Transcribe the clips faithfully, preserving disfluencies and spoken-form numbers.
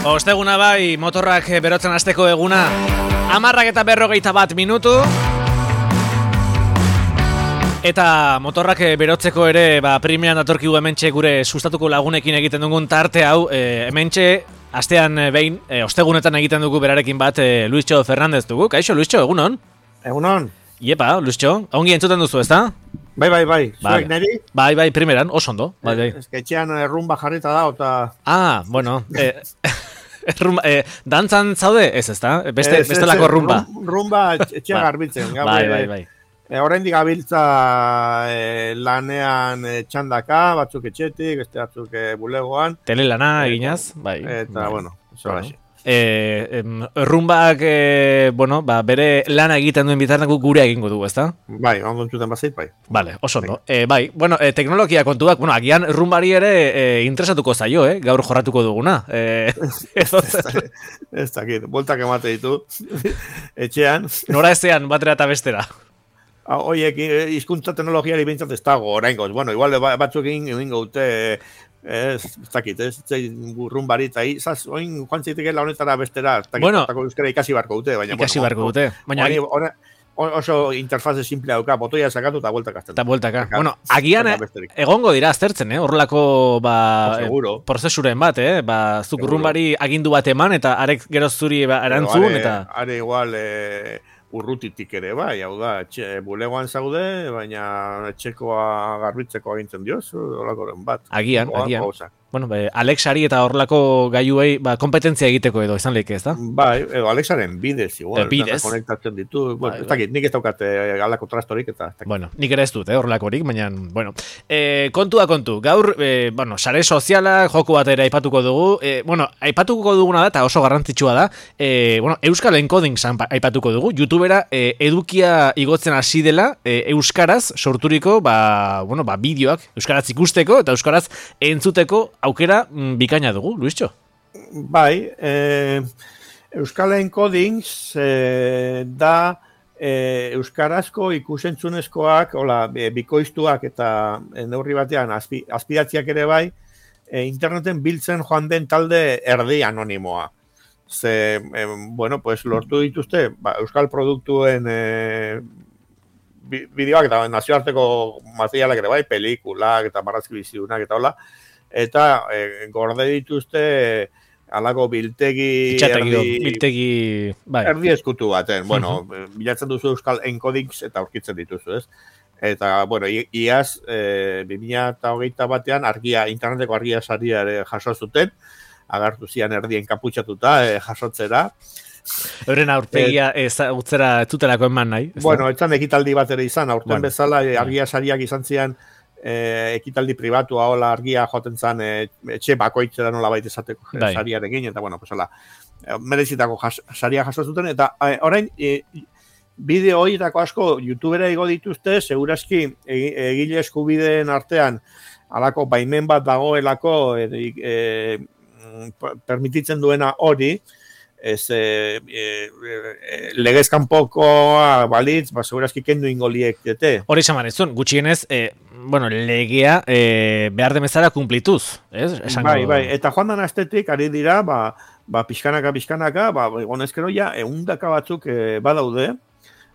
Osteguna bai, motorrak berotzen hasteko eguna. Hamarrak eta berrogeita bat minutu. Eta motorrak berotzeko ere, ba, primean datorkigu hementxe gure sustatuko lagunekin egiten dugun tarte hau, e, hementxe, astean behin, e, ostegunetan egiten dugu berarekin bat, e, Luischo Fernandez dugu. Kaixo, Luischo, egunon? Egunon. Iepa, Luischo, ongi entzuten duzu, ezta? Bai, bai, bai. Bai, Zuek neri? bai, bai, primeran, oso ondo. Bai, bai. Ez que etxean rumba jarrita da, eta... Ah, bueno, e, rumba, e, dantzan zaude? Ez, ezta? Beste, Ez, bestelako ez, rumba. Rumba etxean garbitzen. Gaur, Bai, bai, bai. E, oraindik gabiltza e, lanean e, txandaka, batzuk etxetik, beste batzuk e, bulegoan. Telelana eginaz, bai. Eta, bai. bueno, eso Bueno. bueno. E, em, rumbak, e, bueno, ba, bere lana egiten duen bitarteko gure egingo dugu, ezta? Bai, ondo entzuten bazait, bai. Vale, oso ondo. E, bai, bueno, e, teknologia kontuak, bueno, agian rumbari ere e, interesatuko zaio, eh? Gaur jorratuko duguna. E, Ez dakit, boltak emate ditu, etxean. Nora ezean, batera eta bestera. Oiek, hizkuntza teknologiari bintzat ez dago, oraingoz. Bueno, igual batzuk egin egingo dute, ez, ez dakit, ez, rumbari, eta izaz, oin, joan zitekela honetara bestera, ez dakit, Bueno, euskara ikasi barko dute, baina, ikasi bueno, barko dute. Baina, Baina, one, oso interfaze simplea dauka, botoia sakatu eta bueltak azten. eta bueltaka. Bueno, agian eh, egongo dira aztertzen, eh? Horrelako, ba, Oh, seguro. eh, prozesuren bat, eh? Ba, zuk Seguro. rumbari agindu bat eman, eta arek gero zuri ba, erantzun, are, eta... Are igual, e, urrutitik ere, bai, hau da, etxe, bulegoan zaude, baina etxekoa garbitzeko agintzen dioz, holakoren bat. Agian, Oa, agian. gauza. Bueno, be, Alexari eta horrelako gaiuei ba, kompetentzia egiteko edo izan leike, ez da? Bai, edo Alexaren bidez, igual. Eh, bidez. Konektatzen ditu, bueno, Bai, ez dakit, nik ez daukat eh, alako trastorik eta... ez dakit. Bueno, nik ere ez dut, eh, horrelakorik, baina, bueno. E, kontua kontu, gaur, e, bueno, sare sozialak, joku bat ere aipatuko dugu. E, bueno, aipatuko duguna da, eta oso garrantzitsua da, e, bueno, Euskal Encoding san aipatuko dugu. YouTubera e, edukia igotzen hasi dela, e, euskaraz sorturiko, ba, bueno, ba, bideoak, euskaraz ikusteko eta euskaraz entzuteko aukera mm, bikaina dugu, Luischo. Bai, eh, Euskal Encodings eh, da eh, euskarazko ikusentzunezkoak, hola, e, bikoiztuak eta e, neurri batean azpi, azpidatziak ere bai, e, interneten biltzen joan den talde erdi anonimoa. Ze, e, bueno, pues lortu dituzte, ba, euskal produktuen e, bi- bideoak eta nazioarteko materialak ere bai, pelikulak eta marrazki bizidunak eta hola, eta e, gorde dituzte e, alako biltegi Itxategi, erdi, biltegi, bai. erdi eskutu baten. Bueno, bilatzen duzu Euskal Encodings eta aurkitzen dituzu, ez? Eta, bueno, i- iaz, e, bi mila hogeita batean argia, interneteko argia saria ere jaso zuten, agartu zian erdien kaputxatuta e, jasotzera. Euren aurpegia ezagutzera ez dutelako eman nahi. ez da? Bueno, etzan ekitaldi bat ere izan, aurten Bueno, bezala e, argia sariak izan zian e, ekitaldi pribatua, hola argia joaten zan e, etxe bakoitzera nola baita esateko e, Bai. sariarekin, eta bueno, pues hola, e, merezitako jas, saria jaso zuten, eta e, orain, e, bideo horietako asko YouTubera igo dituzte, segurazki egi- egile eskubideen artean halako baimen bat dagoelako e, e, mm, permititzen duena hori, ez e, e, e, legez kanpokoa balitz, ba, segurazki kendu ingo liekete. Hori esan manezun, gutxienez, e, bueno, legea e, behar demezara kumplituz, ez? Esango... Bai, bai, eta joan dan astetik ari dira, ba, ba pixkanaka, pixkanaka, ba, egonezkero ja, eundaka batzuk e, badaude,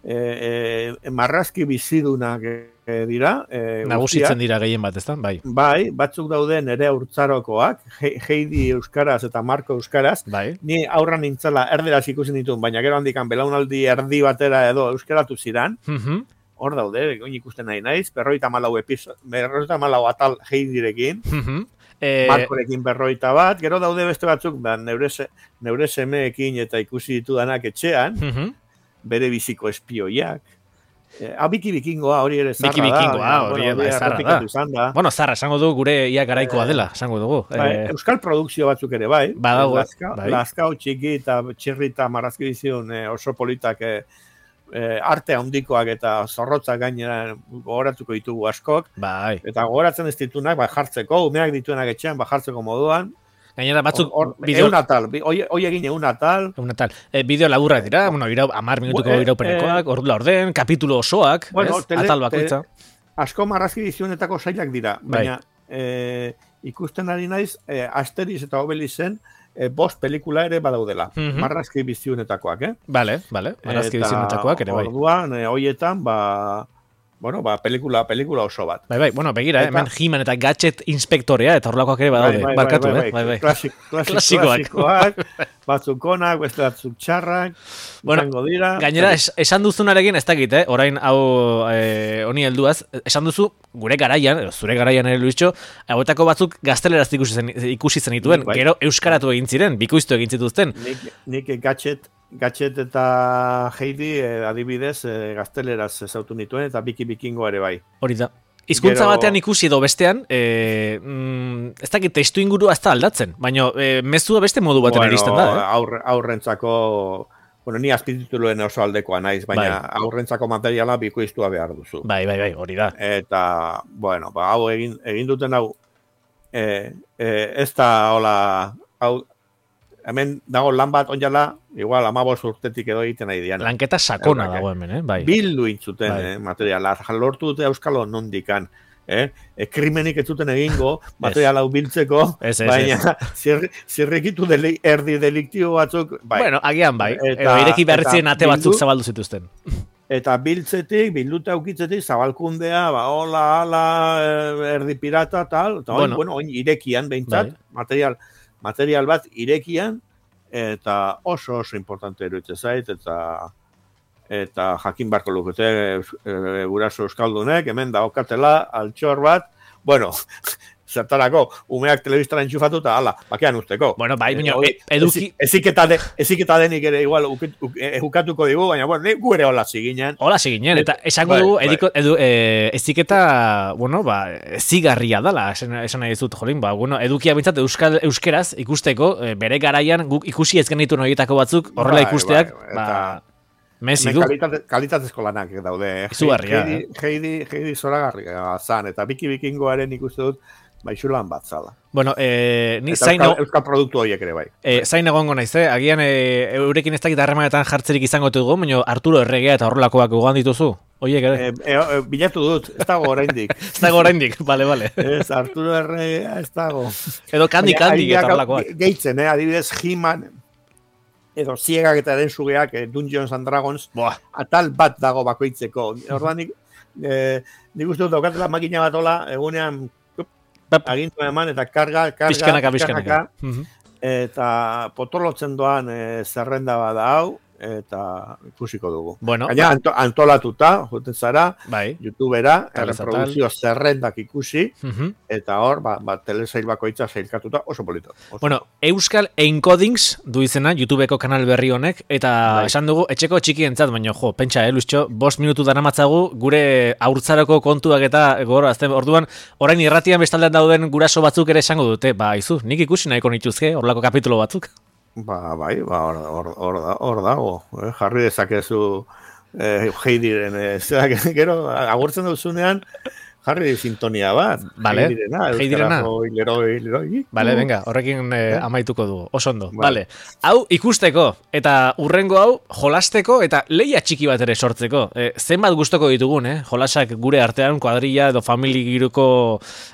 e, e, marrazki bizidunak e, dira. E, Nagusitzen guztiak. dira gehien bat, ezta? Bai, Bai, batzuk daude nere urtzarokoak, He- Heidi euskaraz eta Marko euskaraz. bai. Ni aurra nintzela erderaz ikusten ditun, baina gero handikan belaunaldi erdi batera edo euskaratu ziran. Mhm. Hor daude, oin ikusten nahi naiz, berroita malau episo, berroita malau atal Heidirekin, Mhm. E, Markorekin berroita bat, gero daude beste batzuk, ba, neure, se, neure semeekin eta ikusi ditudanak etxean, mhm. bere biziko espioiak. E, ah, Biki Bikingoa hori ere zarra Biki Bikingoa, da. hori bueno, bai, zarra da. errepikatu izan da. Bueno, zarra, esango du gure ia garaikoa dela, esango dugu. Bai, E, Euskal produkzio batzuk ere bai. Badago, Lazka, bai. Lazkao txiki eta txirri eta marrazki bizion e, oso politak e, e, arte handikoak eta zorrotzak gainera gogoratuko ditugu askok. bai. Eta gogoratzen ez ditunak, ba, jartzeko, umeak dituenak etxean, ba, jartzeko moduan. Gainera batzuk Hor, bideo... egun atal, bi- hoi, hoi egin egun atal. Una tal. E, bideo laburrak dira, bueno, irau, amar minutuko Bu- eh, iraupenekoak, ordu laurden, kapitulo osoak, Bueno, ez? tele- Atal bakoitza. Asko marrazki dizionetako sailak dira, Bai. baina e, ikusten ari naiz, eh, Asterix eta Obelixen eh, bost pelikula ere badaudela. Mm-hmm. Marrazki biziunetakoak, eh? Bale, bale, marrazki biziunetakoak ere bai. Orduan, eh, hoietan, ba... Bueno, ba, pelikula, pelikula oso bat. Bai, bai, bueno, begira, eta, hemen He-Man eta Gadget inspektorea, eta horlakoak ere badaude, bai, bai, barkatu, bai, bai, eh? Bai, bai. Klasik, klasik, klasikoak, batzuk onak, beste batzuk txarrak, bueno, dira. Gainera, es, esan duzunarekin, ez dakit, eh? Orain, hau, eh, honi helduaz, esan duzu, gure garaian, zure garaian ere Luischo, hauetako batzuk gazteleraz ikusi zen, ikusi zen dituen, bai, bai. Gero euskaratu egin ziren, bikoiztu egin zituzten. Nik, nik Gadget, Gadget eta Heidi eh, adibidez eh, gazteleraz ezautu nituen eta biki bikingo ere bai. Hori da. Hizkuntza Gero... batean ikusi edo bestean, eh, mm, ez dakit testu ingurua ez da aldatzen, baina eh, mezua beste modu baten bueno, iristen da. Eh? Aurre, aurrentzako, bueno, ni azpitituluen oso aldekoa naiz, baina bai. Aurrentzako materiala bikoiztua behar duzu. Bai, bai, bai, hori da. Eta, bueno, ba, hau egin, egin duten hau, eh, eh, ez da, hola, hau, hemen dago lan bat onjala, igual amabos urtetik edo egiten nahi dian. Lanketa sakona dago hemen, eh? Bai. Bildu intzuten bai. eh, materiala, lortu dute euskalo nondikan. Eh? E, krimenik ez zuten egingo, materiala hau biltzeko, es, es, baina zir, zirrikitu deli, erdi deliktibo batzuk. Bai. Bueno, agian bai, eta, edo ireki beharritzen ate batzuk bildu, zabaldu zituzten. Eta biltzetik, bilduta aukitzetik, zabalkundea, ba, hola, hala, erdi pirata, tal, eta bueno, bueno, oin irekian behintzat, bai. material... material bat irekian, eta oso oso importante eruditzen zait, eta eta jakin barko lukete e, guraso euskaldunek, hemen daukatela altxor bat, bueno, zertarako, umeak telebistara entxufatu eta ala, bakean usteko. Bueno, bai, baina e, eduki... Eziketa de, denik ere igual ukatuko digu, baina bueno, gu ere hola ziginen. Hola ziginen, eta esango dugu, bai, ediko, edu, e, eziketa, bueno, ba, zigarria dala, esan, esan nahi dizut, jolin, ba, bueno, edukia bintzat euskal, euskeraz ikusteko, bere garaian guk ikusi ez genitu horietako batzuk, horrela ikusteak, bai, bai, ba... Mezi du. Kalitate, kalitatezko lanak daude. Izugarria. Heidi, eh? Heidi, Heidi zoragarria zan, eta biki bikingoaren ikuste dut, baixulan bat zala. Bueno, eh, ni zain... Euskal, euskal produktu horiek ere bai. Eh, zain egongo naiz, eh? Agian eh, eurekin ez dakit harremanetan jartzerik izango dugu, baina Arturo Erregea eta horrelakoak gogoan dituzu? Oiek ere? Eh, eh, eh, bilatu dut, ez dago oraindik. Ez dago oraindik, bale, bale. Ez, Arturo Erregea ez dago. Edo kandi kandi eta horrelakoak. Gehitzen, eh? Adibidez, He-Man, edo ziegak eta den sugeak, eh, Dungeons and Dragons, Boa. Atal bat dago bakoitzeko. Orduan, nik, eh, nik uste dut daukatela makina bat hola, egunean agintu eman, eta karga, karga, pizkanaka, pizkanaka. Eta potolotzen doan eh, zerrenda bada hau, eta ikusiko dugu. Bueno, gaina anto, antolatuta, juten zara, bai. YouTubera, erreproduzio zerrendak ikusi, uh-huh. eta hor, ba, ba, telesail bakoitza zailkatuta, oso polito. Oso. Bueno, Euskal Encodings du izena, YouTubeko kanal berri honek, eta bai. Esan dugu, etxeko txikientzat, baina jo, pentsa, eh, Luischo, bost minutu daramatzagu, gure haurtzaroko kontuak eta goro, azten, orduan, orain irratian bestaldean dauden guraso batzuk ere esango dute, ba, izu, nik ikusi nahiko nituzke, horlako kapitulo batzuk. Ba, bai, ba, hor, hor, hor, hor dago, eh? Jarri dezakezu eh, Heidiren, eh, zerak, gero, agurtzen duzunean, jarri sintonia bat. Vale, Heidirena. Hileroi, hileroi. Vale, venga, horrekin eh, amaituko dugu, oso ondo. Vale. Hau ikusteko, eta urrengo hau jolasteko, eta leia txiki bat ere sortzeko. Eh, zenbat gustoko ditugun, eh? Jolasak gure artean, kuadrilla edo famili giruko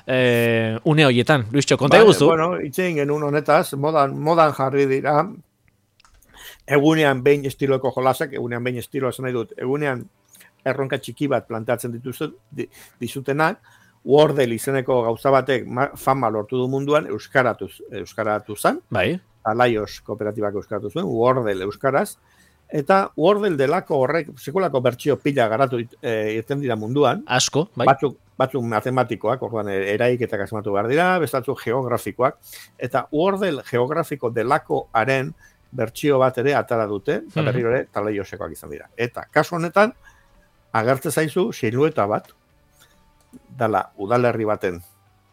eh, une horietan. Luischo, konta eguzu? Bueno, itxein genuen honetaz, modan, modan jarri dira, egunean behin estiloko jolasak, egunean behin estilo esan nahi dut, egunean erronka txiki bat planteatzen dituzte, dizutenak, Wordle izeneko gauza batek fama lortu du munduan, euskaratuz, euskaratu zen, bai. Alaios kooperatibak euskaratu zuen, Wordle euskaraz, eta Wordle delako horrek, sekulako bertsio pila garatu e, irten dira munduan, asko, bai. Batzuk, batzuk matematikoak, orduan eraiketak asmatu behar dira, bestatzuk geografikoak, eta Wordle geografiko delakoaren bertsio bat ere atara dute, eta berri ere talaiosekoak izan dira. Eta kasu honetan, agertze zaizu silueta bat, dala udalerri baten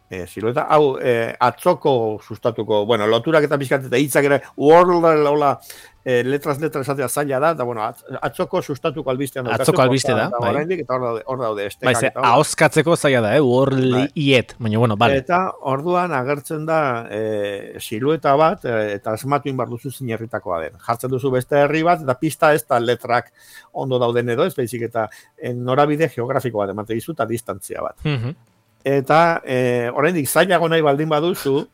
e, silueta, hau e, atzoko sustatuko, bueno, loturak eta pixkat eta hitzak ere, world, hola, e, letras, letras esatea zaila da, eta bueno, atzoko sustatuko albistean. Atzoko albiste da, bai. Eta hor daude, hor daude, estekak. Bai, ze, ahoskatzeko zaila da, eh, world iet, baina, bueno, bale. Eta orduan agertzen da e, silueta bat, e, eta esmatu inbar duzu zinerritakoa den. Jartzen duzu beste herri bat, eta pista ez da letrak ondo dauden edo, ez behizik eta norabide geografiko bat emate dizu, eta distantzia bat. Mhm. eta e, oraindik zailago nahi baldin baduzu,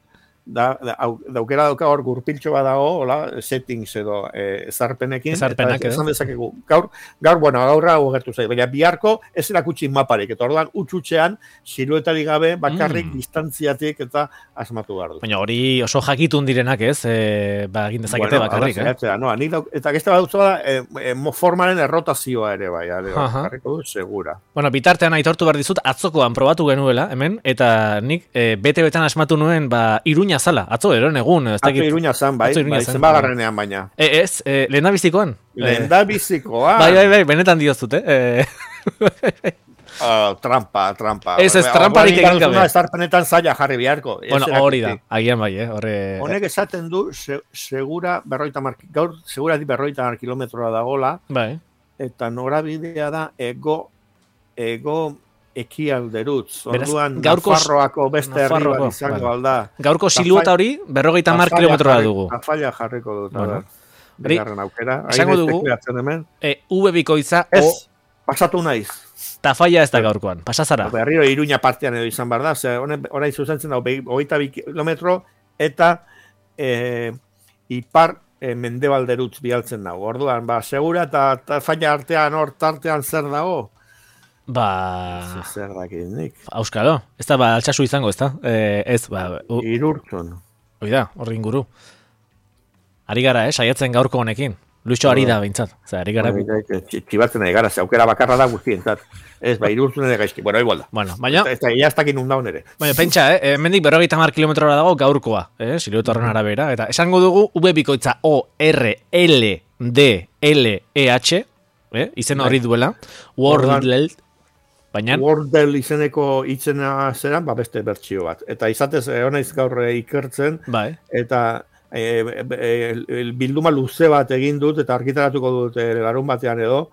da, da, daukera dauka hor gurpiltxo bat dago, hola, settings edo e, ezarpenekin, Ezarpenak, eta esan dezakegu, gaur, gaur, bueno, gaurra ogertu zait, baina biharko ez erakutsi maparik, eta orduan utxutxean, siluetarik gabe, bakarrik, Mm. distantziatik eta asmatu behar du. Baina hori oso jakitun direnak, ez? E, ba, egin dezakete Bueno, bakarrik, ala, eh? zeratzea, no, nik dauk, eta geste bat dutzu da, e, e, mo- formaren errotazioa ere bai, ale, Aha. jarriko du, segura. Bueno, bitartean aitortu behar dizut, atzokoan probatu genuela, hemen, eta nik e, bete-betan asmatu nuen, ba, Iruña zala, atzo, eron egun, ez Atzo dakit. Iruña zan, bai, Atzo Iruña bai, zan, zenbagarrenean baina. E, ez, e, lehendabizikoan. Lehen da bizikoa. Bai, bai, bai, benetan diozut, eh? E, Uh, trampa, trampa. Ez, ez, tramparik egin gabe. Estarpenetan zaila jarri biharko. Ez bueno, erakutsi. hori da, agian bai, eh? Horre... Honek esaten du, se, segura berroita mar, gaur segura di berroita mar kilometroa dagola, Bai. eta norabidea da ego, ego ekialderutz. Beraz, Orduan, gaurko- Nafarroako beste herri Nafarroako, bat izango vale. alda. Gaurko silueta hori, berrogeita mar kilometroa dugu. Tafaila jarriko dut, Bueno. bueno. Bigarren aukera. esango Hain dugu- espekulatzen hemen. E, V bikoitza, Ez, o, pasatu naiz. tafaia ez da gaurkoan, pasazara. Berriro Iruña partean edo izan behar da, ze honen orain zuzentzen da hogeita bi kilometro eta e, ipar e, mendebalderutz bialtzen dago. Orduan, ba, segura eta tafaia artean hor tartean zer dago? Ba... Zer dakit nik. Auskalo, ez da, ba, altsasu izango, ez da? E, ez, ba, u, Irurtzun. hoi da, horri inguru. Ari gara, eh, saiatzen gaurko honekin. Luixo ari da, behintzat. Zer, ari gara... Txibatzen ari gara, ze aukera bakarra da guztientzat. Ez, ba, irurtzun ere gaizki. Bueno, igual da. Bueno, baina, Eta ja ez dakin undaun ere. baina pentsa, eh, mendik berrogeita mar kilometrora dago gaurkoa, eh, silueta horren arabera, eta esango dugu V bikoitza O, R, L, D, L, E, H, eh, izen hori duela, World, baina, Wordle izeneko itzena zeran, ba, beste bertsio bat. Eta izatez, eh, honaiz gaur eh, ikertzen, bai, eta e, e, e, bilduma luze bat egin dut eta argitaratuko dut e, larun batean edo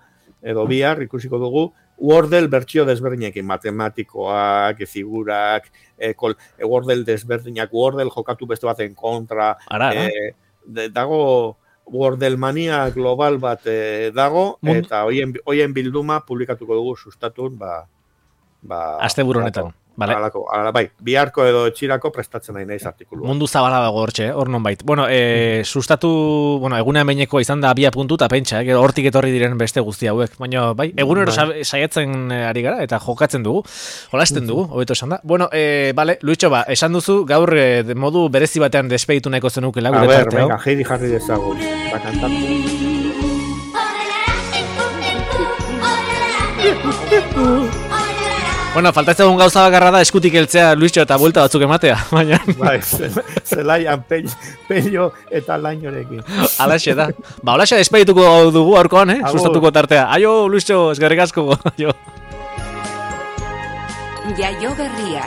edo bihar ikusiko dugu Wordle bertsio desberdinekin, matematikoak, figurak, e, kol, e, Wordle desberdinak, Wordle jokatu beste baten kontra, ara, ara. e, de, dago Wordle mania global bat e, dago, Mund- eta hoien, hoien bilduma publikatuko dugu sustatun, ba, ba, Asteburu honetan. Vale. Alako, ala, bai, biharko edo etxirako prestatzen nahi naiz artikulu. Mundu zabala dago hortxe, eh, hor non bait. Bueno, e, sustatu, bueno, egunean behineko izan da abia puntu eta pentsa, eh, hortik etorri diren beste guzti hauek. Baina, bai, egunero sa- saiatzen eh, ari gara eta jokatzen dugu, jolasten dugu, hobeto esan da. Bueno, e, bale, Luitxo, ba, esan duzu, gaur e, de modu berezi batean despeditu nahiko zenukela, A gure ber, parte hau. venga, Heidi jarri dezagun. Ba, kantatu. Bueno, faltatzen egun gauza bakarra da eskutik heltzea Luitxo eta buelta batzuk ematea, baina Bai, zelaian peño, peño eta lainorekin. alaxe da. Ba, alaxe despedituko dugu aurkoan, eh? Agur. Sustatuko tartea. Aio, Luitxo, eskerrik asko. Aio. Jaio berria.